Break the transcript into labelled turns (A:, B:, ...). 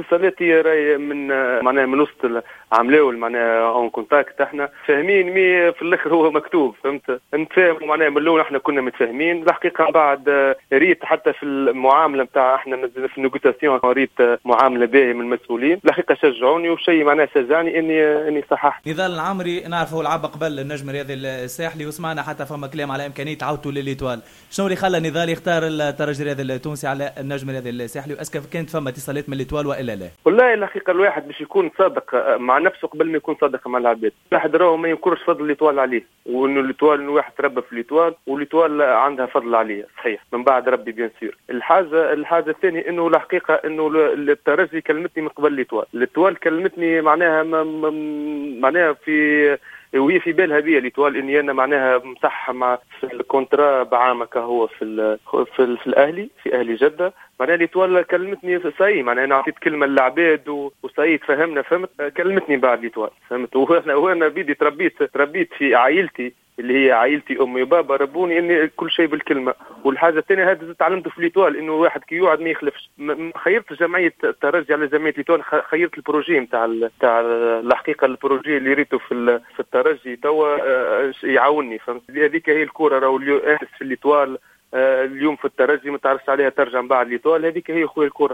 A: الاتصالات هي راهي من معناها من وسط عام الاول، معناها en contact، احنا فاهمين، mais في الاخر هو مكتوب، فهمت؟ نتفاهموا معناها من الاول احنا كنا متفاهمين. الحقيقة بعد ريت حتى في المعاملة نتاع احنا في ال négociation، ريت معاملة باهيه من المسؤولين، الحقيقة شجعوني، وشيء معناها شجعني اني صححت.
B: نضال العمري نعرفه لعب قبل النجم الرياضي الساحلي، وسمعنا حتى فما كلام على امكانية عودته لل Étoile. شنو اللي خلى نضال يختار الترجي الرياضي التونسي على النجم الرياضي الساحلي؟ و est-ce que كانت فما اتصالات من l'Étoile والا لا؟
A: والله الحقيقة الواحد باش يكون صادق مع نفسه قبل ما يكون صادق مع العباد، الواحد راهو ما ينكرش فضل l'Étoile عليه، وانه l'Étoile، انه واحد تربى في l'Étoile و l'Étoile عندها فضل عليه، صحيح، من بعد ربي bien sûr. الحاجه الثانية انه الحقيقة انه الترجي كلمتني من قبل l'Étoile، l'Étoile كلمتني معناها في وهي في بالها بيا l'Étoile اني انا معناها مصح مع في ال contrat بعام هو في الاهلي، في اهلي جده. معناها l'Étoile كلمتني ça y est، معناها انا عطيت كلمة للعباد و ça y est تفهمنا، فهمت؟ كلمتني بعد l'Étoile، فهمت؟ وانا بيدي تربيت في عائلتي اللي هي عائلتي، امي وبابا ربوني اني كل شيء بالكلمه. والحاجة الثانية هذا تعلمته في l'Étoile، انه واحد كي يوعد ما يخلفش. خيرت جمعية الترجي على جمعية l'Étoile، خيرت ال projet نتاع الحقيقة ال projet اللي ريته في الترجي توا يعاونني، فهمت؟ هذيك هي الكوره، راهو اليوم في l'Étoile، اليوم في الترجي، ما تعرفش عليها ترجع من بعد l'Étoile. هذيك هي خويا الكوره.